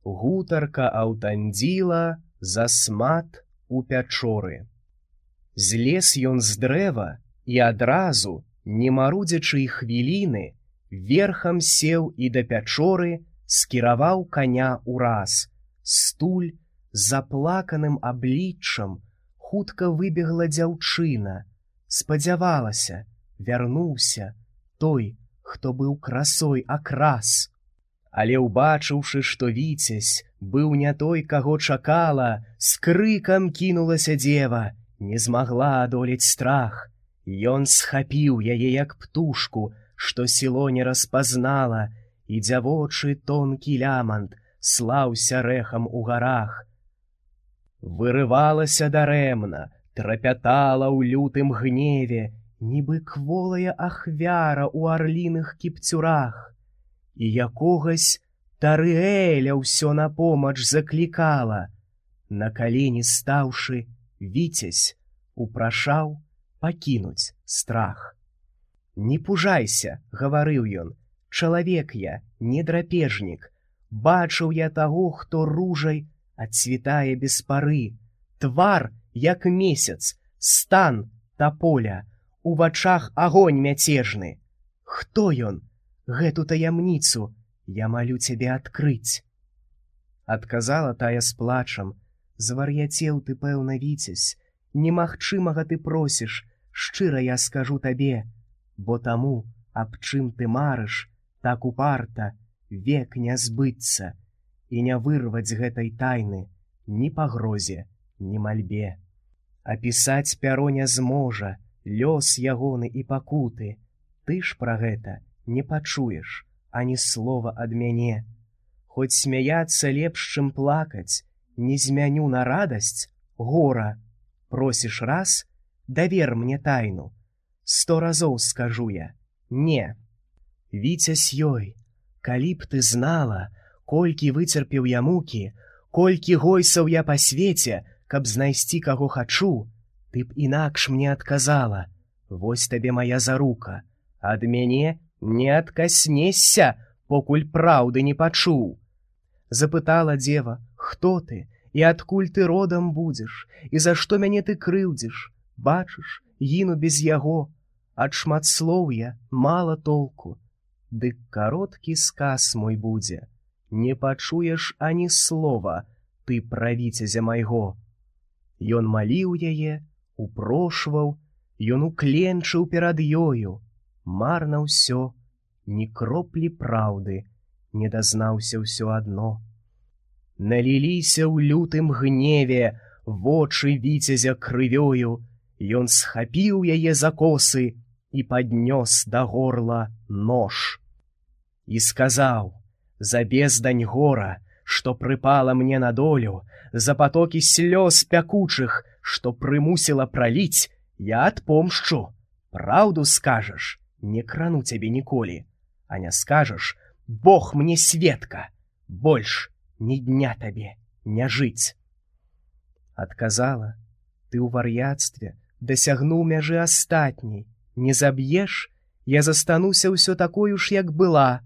гутарка аўтандзіла засмат у пячоры. Злез ён з дрэва і адразу, не марудзячы хвіліны, верхам сеў і да пячоры скіраваў каня ўраз. Стуль з заплаканым абліччам хутка выбегла дзяўчына. Спадзявалася, вярнуўся той, хто быў красой акрас. Але ўбачыўшы, што Віцязь быў не той, каго чакала, з крыкам кінулася дзева, не змагла адолець страх. Ён схапіў яе, як птушку, што сіло не распазнала, і дзявочы тонкі лямант слаўся рэхам у гарах. Вырывалася дарэмна, трапятала ў лютым гневе, нібы кволая ахвяра ў арліных кіпцюрах. І якогось Тарыэля ўсё на помач заклікала. На калені стаўшы, Віцязь упрашаў пакінуць страх. «Не пужайся», — гаварыў ён, — «чалавек я, не драпежнік. Бачыў я таго, хто ружай адцвітае без пары. Твар, як месяц, стан таполя, у вачах агонь мяцежны. Хто ён? Гэту таямніцу я малю цябе адкрыць». Адказала тая з плачам: «Звар'яцеў ты, пэўна, Віцязь, немагчымага ты просіш, шчыра я скажу табе, бо таму, аб чым ты марыш, так упарта, век не збыцца, і не вырваць гэтай тайны ні пагрозе, ні мальбе. Апісаць пяро не зможа лёс ягоны і пакуты. Ты ж пра гэта не пачуеш ані слова ад мяне. Хоць смяяцца лепш, чым плакаць, не змяню на радасць гора. Просіш раз, давер мне тайну. 100 разоў скажу я: не». Віцязь ёй: «Калі б ты знала, колькі выцерпеў я мукі, колькі гойсаў я па свеце, каб знайсці каго хачу, ты б інакш мне адказала: вось табе моя зарука, ад мяне не адкаснешся, покуль праўды не пачуў». Запытала дзева: «Хто ты і адкуль ты родам будзеш, і за што мяне ты крыўдзіш? Бачыш, гіну без яго, ад шматслоўя мала толку. Дык кароткі сказ мой будзе, не пачуеш ані слова ты пра Віцязя майго». Ён маліў яе, упрошваў, ён укленчыў перад ёю. Марна ўсё, ні кроплі праўды, не дазнаўся ўсё адно. Наліліся ў лютым гневе вочы Віцязя крывёю. Ён схапіў яе за косы і паднёс да горла нож. І сказаў: «За бездань гора, што прыпала мне на долю, за патокі слёз пякучых, што прымусіла праліць, я адпомшчу. Праўду скажаш, не крану цябе ніколі, а не скажаш, Бог мне сведка, больш ні дня табе не жыць». Адказала: «Ты ў вар'яцтве дасягнуў мяжы астатняй, не заб'еш, я застануся ўсё такою ж, як была.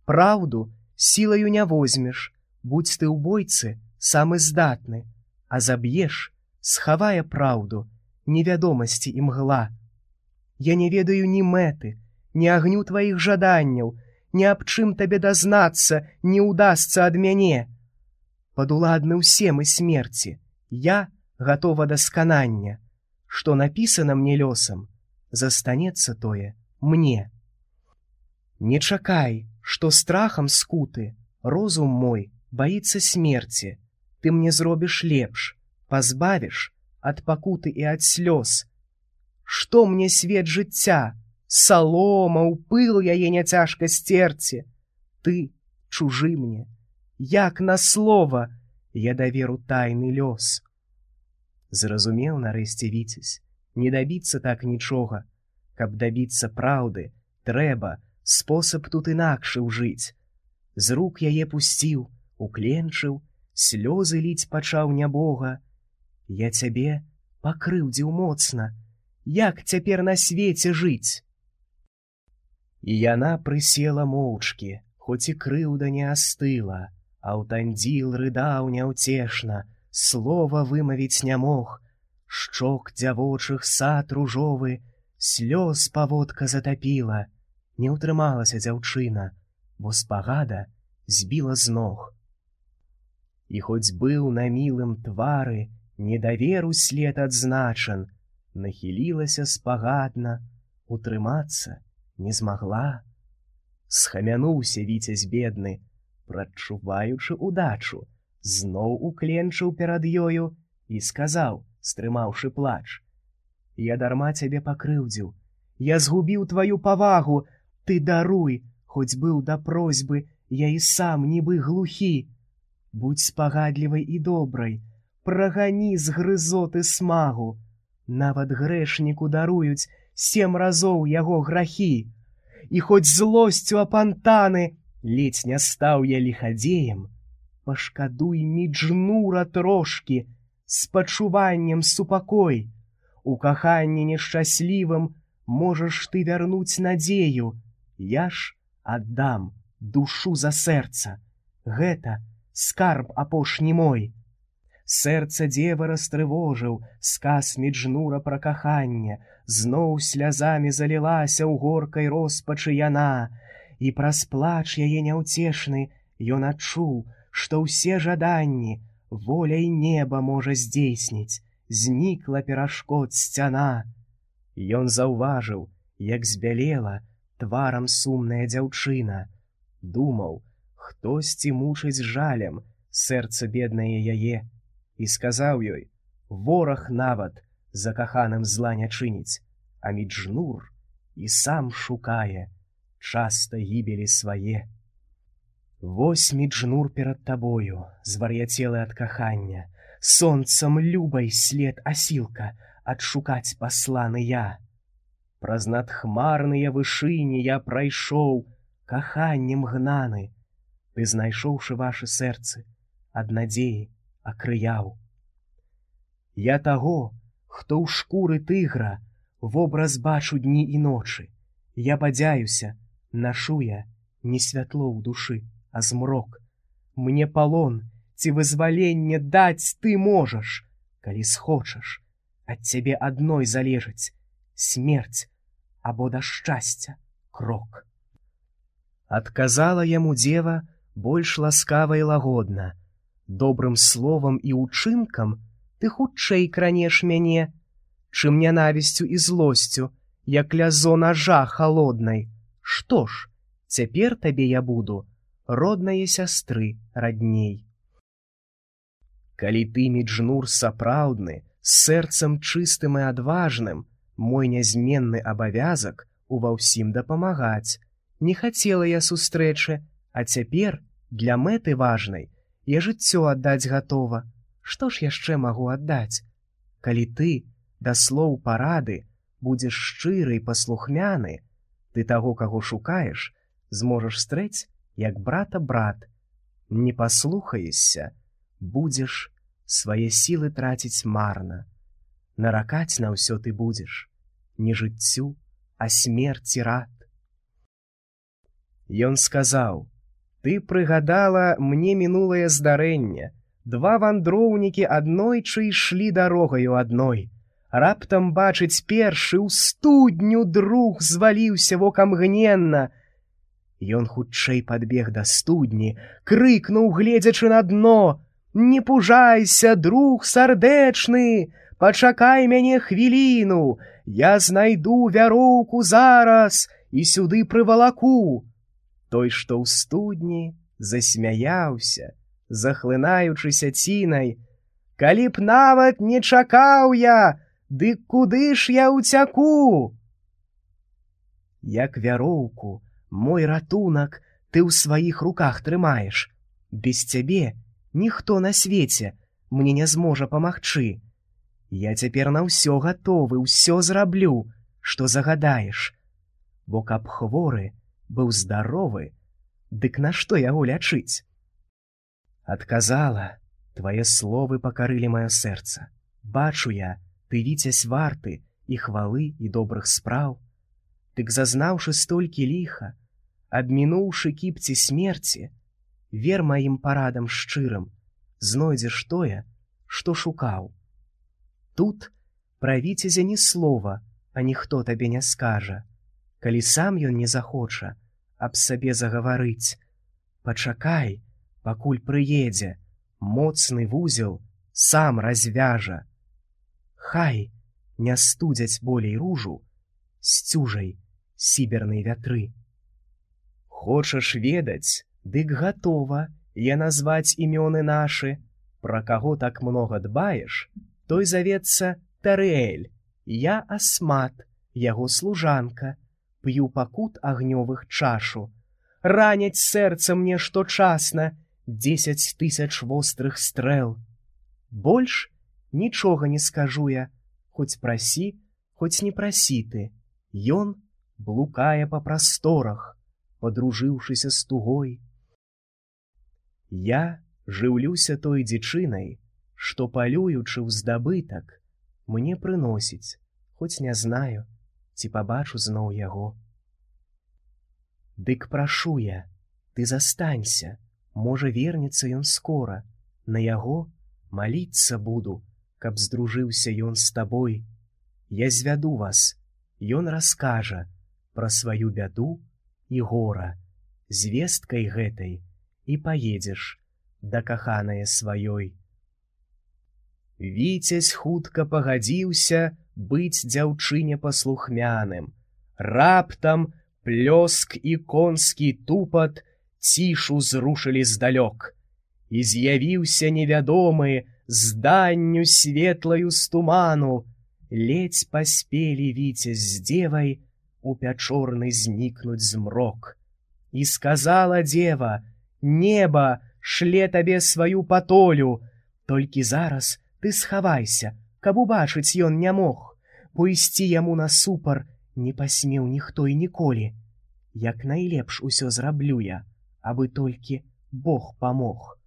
Праўду сілаю не возьмеш, будзь ты ў бойцы самы здатны, а заб'еш, схавае праўду, невядомасці і мгла. Я не ведаю ні мэты, ні агню тваіх жаданняў, ні аб чым табе дазнацца не ўдасца ад мяне. Падуладны ўсе мы смерці, я гатова да сканання. Што напісана мне лёсам, застанецца тое мне. Не чакай, што страхам скуты розум мой баіцца смерці. Ты мне зробіш лепш, пазбавіш ад пакуты і ад слёз. Што мне свет жыцця, салома, ў пыл яе няцяжка сцерці. Ты чужы мне, як на слова я даверу тайны лёс». Зразумеў нарэшце Віцязь, не дабіцца так нічога. Каб дабіцца праўды, трэба спосаб тут інакшы ўжыць. З рук яе пусціў, укленчыў, слёзы ліць пачаў нябога. «Я цябе пакрыўдзіў моцна, як цяпер на свеце жыць?» І яна прысела моўчкі, хоць і крыўда не астыла, Аўтандзіл рыдаў няўцешна, слова вымавіць не мог. Шчок дзявочых сад ружовы, слёз паводка затапіла. Не ўтрымалася дзяўчына, бо спагада збіла з ног. І хоць быў на мілым твары недаверу след адзначан, нахілілася спагадна, утрымацца не змагла. Схамянуўся віцязь бедны, прадчуваючы удачу, зноў укленчыў перад ёю і сказаў, стрымаўшы плач: «Я дарма цябе пакрыўдзіў, я згубіў тваю павагу, ты даруй, хоць быў да просьбы, я і сам нібы глухі. Будзь спагадлівай і добрай, прагані з грызоты смагу. Нават грэшніку даруюць 7 разоў яго грахі. І хоць злосцю апантаны, ледзь не стаў я ліхадзеем, пашкадуй Міджнура трошкі, з пачуваннем супакой. У каханні нешчаслівым можаш ты вярнуць надзею. Я ж аддам душу за сэрца. Гэта скарб апошні мой». Сэрца дзевы растрывожыў сказ Міджнура пра каханне. Зноў слязамі залілася ў горкай роспачы яна. І праз плач яе няўцешны ён адчуў, што ўсе жаданні воляй неба можа здзейсніць. Знікла перашкод сцяна. Ён заўважыў, як збялела тварам сумная дзяўчына. Думаў, хтосьці мучыць жалем сэрца беднае яе. І сказаў ёй: «Вораг нават за каханым зла не чыніць, а Міджнур і сам шукае часта гібелі свае. Вось Міджнур перад табою, звар'яцелы ад кахання, сонцам любай след асілка адшукаць пасланы я. Праз надхмарныя вышыні я прайшоў, каханнем гнаны. Ты, знайшоўшы вашы сэрцы, ад надзеі акрыяў. Я таго, хто ў шкуры тыгра, вобраз бачу дні і ночы. Я бадзяюся, нашу я не святло ў душы, а змрок. Мне палон ці вызваленне даць ты можаш, калі схочаш. Ад цябе адной залежыць смерць або да шчасця крок». Адказала яму дзева больш ласкава і лагодна: «Добрым словам і ўчынкам ты хутчэй кранеш мяне, чым нянавісцю і злосцю, як лязо нажа халоднай. Што ж, цяпер табе я буду роднае сястры радней. Калі ты, Міджнур сапраўдны, з сэрцам чыстым і адважным, мой нязменны абавязак ува ўсім дапамагаць. Не хацела я сустрэчы, а цяпер для мэты важнай я жыццё аддаць гатова. Што ж яшчэ магу аддаць? Калі ты да слоў парады будзеш шчыры і паслухмяны, ты таго, каго шукаеш, зможаш стрэць, як брата брат. Не паслухаешся, будзеш свае сілы траціць марна. Наракаць на ўсё ты будзеш не жыццю, а смерці рад». Ён сказаў: «Ты прыгадала мне мінулае здарэнне. 2 вандроўнікі аднойчы ішлі дарогаю адной. Раптам бачыць першы ў студню друг зваліўся вокамгненна. Ён хутчэй падбег да студні, крыкнуў, гледзячы на дно: «Не пужайся, друг сардэчны, пачакай мяне хвіліну, я знайду вяроўку зараз і сюды прывалаку». Той, што ў студні, засмяяўся, захлынаючыся цінай: «Калі б нават не чакаў я, дык куды ж я ўцяку? Як вяроўку, мой ратунак ты ў сваіх руках трымаеш. Без цябе ніхто на свеце мне не зможа памагчы. Я цяпер на ўсё гатовы, ўсё зраблю, што загадаеш. Бо каб хворы быў здаровы, дык нашто яго лячыць?» Адказала: «Твае словы пакарылі маё сэрца. Бачу я, ты віцязь варты і хвалы, і добрых спраў. Дык зазнаўшы столькі ліха, абмінуўшы кіпці смерці, вер маім парадам шчырым, знойдзеш тое, што шукаў. Тут пра віцязя ні слова, а ніхто табе не скажа. Калі сам ён не захоча аб сабе загаварыць, пачакай, пакуль прыедзе, моцны вузел сам развяжа. Хай не студзяць болей ружу сцюжай сібернай вятры. Хочаш ведаць, дык гатова я назваць імёны нашы. Пра каго так многа дбаеш, той завецца Тарыэль. Я Асмат, яго служанка, п'ю пакут агнёвых чашу. Раняць сэрца мне шточасна 10 000 вострых стрэл. Больш нічога не скажу я, хоць прасі, хоць не прасі ты. Ён блукае па прасторах, падружыўшыся з тугой. Я жыўлюся той дзічынай, што, палюючы ў здабытак, мне прыносіць, хоць не знаю, ці пабачу зноў яго. Дык прашу я, ты застанься, можа вернецца ён скора, на яго маліцца буду, каб здружыўся ён з табой. Я звяду вас, ён раскажа пра сваю бяду і гора, звесткай гэтай і паедзеш да каханае сваёй. Віцязь хутка пагадзіўся быць дзяўчыне паслухмяным. Раптам плёск і конскі тупат цішу зрушылі здалёк, і з'явіўся невядомы зданню светлаю з туману. Ледзь паспелі віцязь з дзевай у пячорны знікнуць змрок. І сказала дзева: неба шле табе сваю патолю, толькі зараз ты схавайся, каб убачыць ён не мог, бо ісці яму насупар не пасмеў ніхто і ніколі. Як найлепш усё зраблю я, абы толькі Бог памог.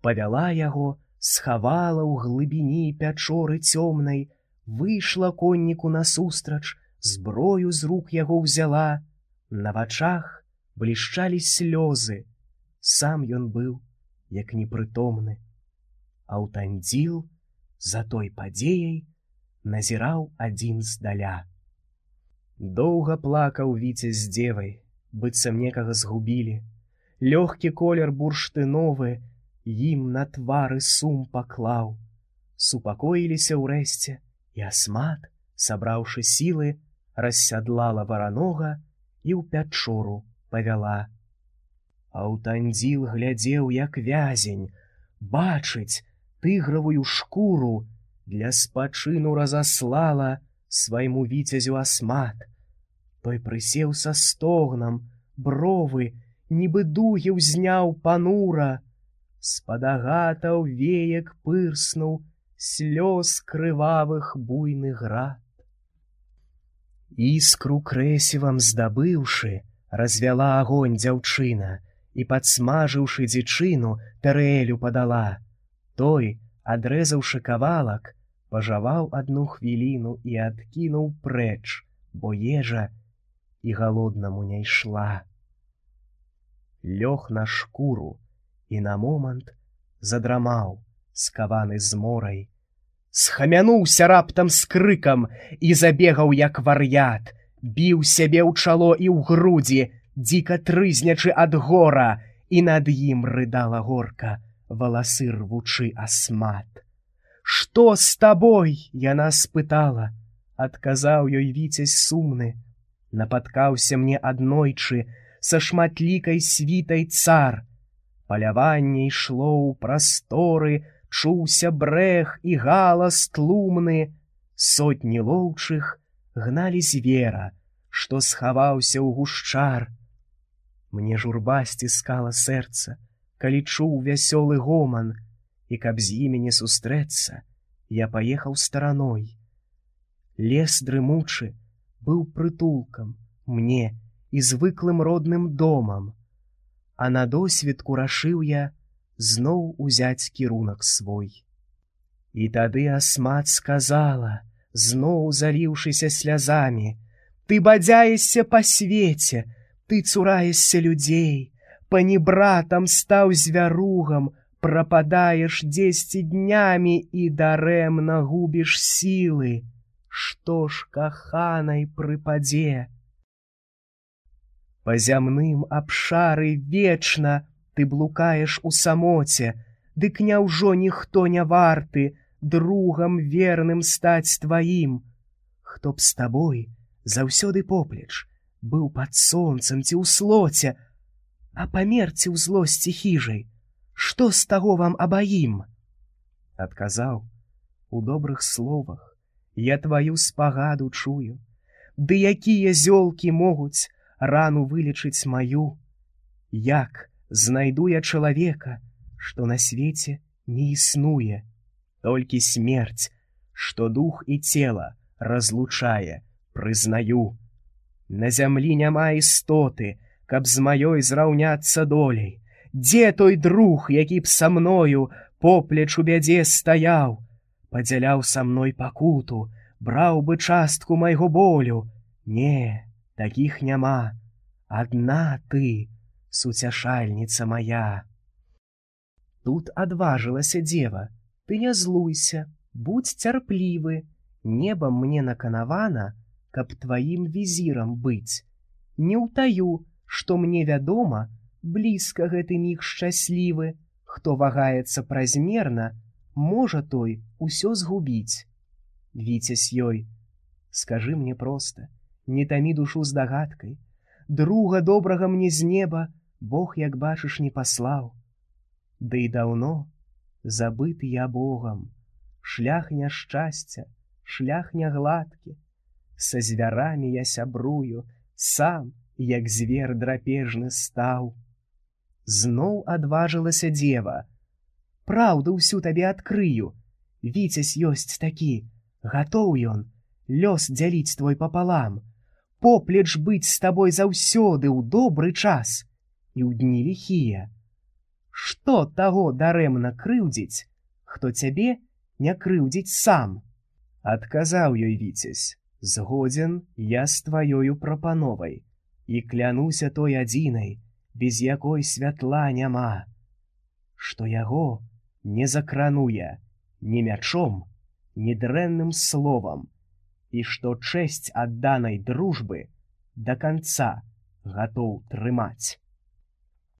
Павяла яго, схавала ў глыбіні пячоры цёмнай, выйшла конніку насустрач, зброю з рук яго ўзяла. На вачах блішчалі слёзы, сам ён быў як непрытомны. Аўтандзіл за той падзеяй назіраў адзін здаля. Доўга плакаў віцязь з дзевай, быццам некага згубілі. Лёгкі колер бурштыновы ім на твары сум паклаў. Супакоіліся ўрэшце, і Асмат, сабраўшы сілы, рассядлала варанога і ў пячору павяла. Аўтандзіл глядзеў, як вязень, бачыць тыгравую шкуру для спачыну разаслала свайму віцязю Асмат. Той прысеў са стогнам, бровы нібы дугі ўзняў панура. З-пад агатаў веек пырснуў слёз крывавых буйны град. Іскру крэсівам здабыўшы, развяла агонь дзяўчына і, падсмажыўшы дзічыну, Тарыэлю падала. Той, адрэзаўшы кавалак, пажаваў адну хвіліну і адкінуў прэч, бо ежа і галоднаму не ішла. Лёг на шкуру і на момант задрамаў, скаваны зморай. Схамянуўся раптам з крыкам і забегаў, як вар'ят, біў сябе ў чало і ў грудзі, дзіка трызнячы ад гора, і над ім рыдала горка, валасы рвучы Асмат. «Што з табой?» яна спытала. Адказаў ёй віцязь сумны. Напаткаўся мне аднойчы са шматлікай світай цар. Паляванне ішло ў прасторы, чуўся брэх і галас тлумны. Сотні лоўчых гналі звера, што схаваўся ў гушчар. Мне журба сціскала сэрца, калі чуў вясёлы гоман, і каб з імі не сустрэцца, я паехаў стараной. Лес дрымучы быў прытулкам мне і звыклым родным домам, а на досведку рашыў я зноў узяць кірунак свой. І тады Асмат сказала, зноў заліўшыся слязамі: «Ты бадзяешся па свеце, ты цураешся людзей, панібратам стаў звяругам, прападаеш дзесьці днямі і дарэмна губіш сілы. Што ж каханай прыпадзе? Па зямным абшары вечна ты блукаеш у самоце, дык няўжо ніхто не варты другам верным стаць тваім? Хто б з табой заўсёды поплеч быў пад сонцам ці ў слоце, а памерці ў злосці хіжай, што з таго вам абаім? Адказаў: у добрых словах я тваю спагаду чую, ды якія зёлкі могуць рану вылечыць маю? Як знайду я чалавека, што на свеце не існуе? Толькі смерць, што дух і цела разлучае, прызнаю. На зямлі няма істоты, каб з маёй зраўняцца долей. Дзе той друг, які б са мною поплеч у бядзе стаяў, падзяляў са мной пакуту, браў бы частку майго болю? Не, такіх няма. Адна ты, суцяшальніца мая. Тут адважылася дзева: ты не злуйся, будзь цярплівы, небам мне наканавана, каб тваім візірам быць. Не ўтаю, што мне вядома, блізка гэты міг шчаслівы. Хто вагаецца празмерна, можа той усё згубіць. Віцязь ёй: скажы мне проста, не тамі душу здагадкай. Друга добрага мне з неба Бог, як бачыш, не паслаў. Ды і даўно забыты я Богам. Шлях няшчасця, шлях нягладкі. Са звярамі я сябрую, сам, як звер драпежны стаў. Зноў адважылася дзева: праўду ўсю табе адкрыю. Віцязь ёсць такі, гатоў ён лёс дзяліць твой папалам, поплеч быць з табой заўсёды ў добры час і ў дні ліхія. Што таго дарэмна крыўдзіць, хто цябе не крыўдзіць сам? Адказаў ёй Віцязь: згодзен я з тваёю прапановай і клянуся той адзінай, без якой святла няма, што яго не закрануе ні мячом, ні дрэнным словам, і што чэсць адданай дружбы да канца гатоў трымаць.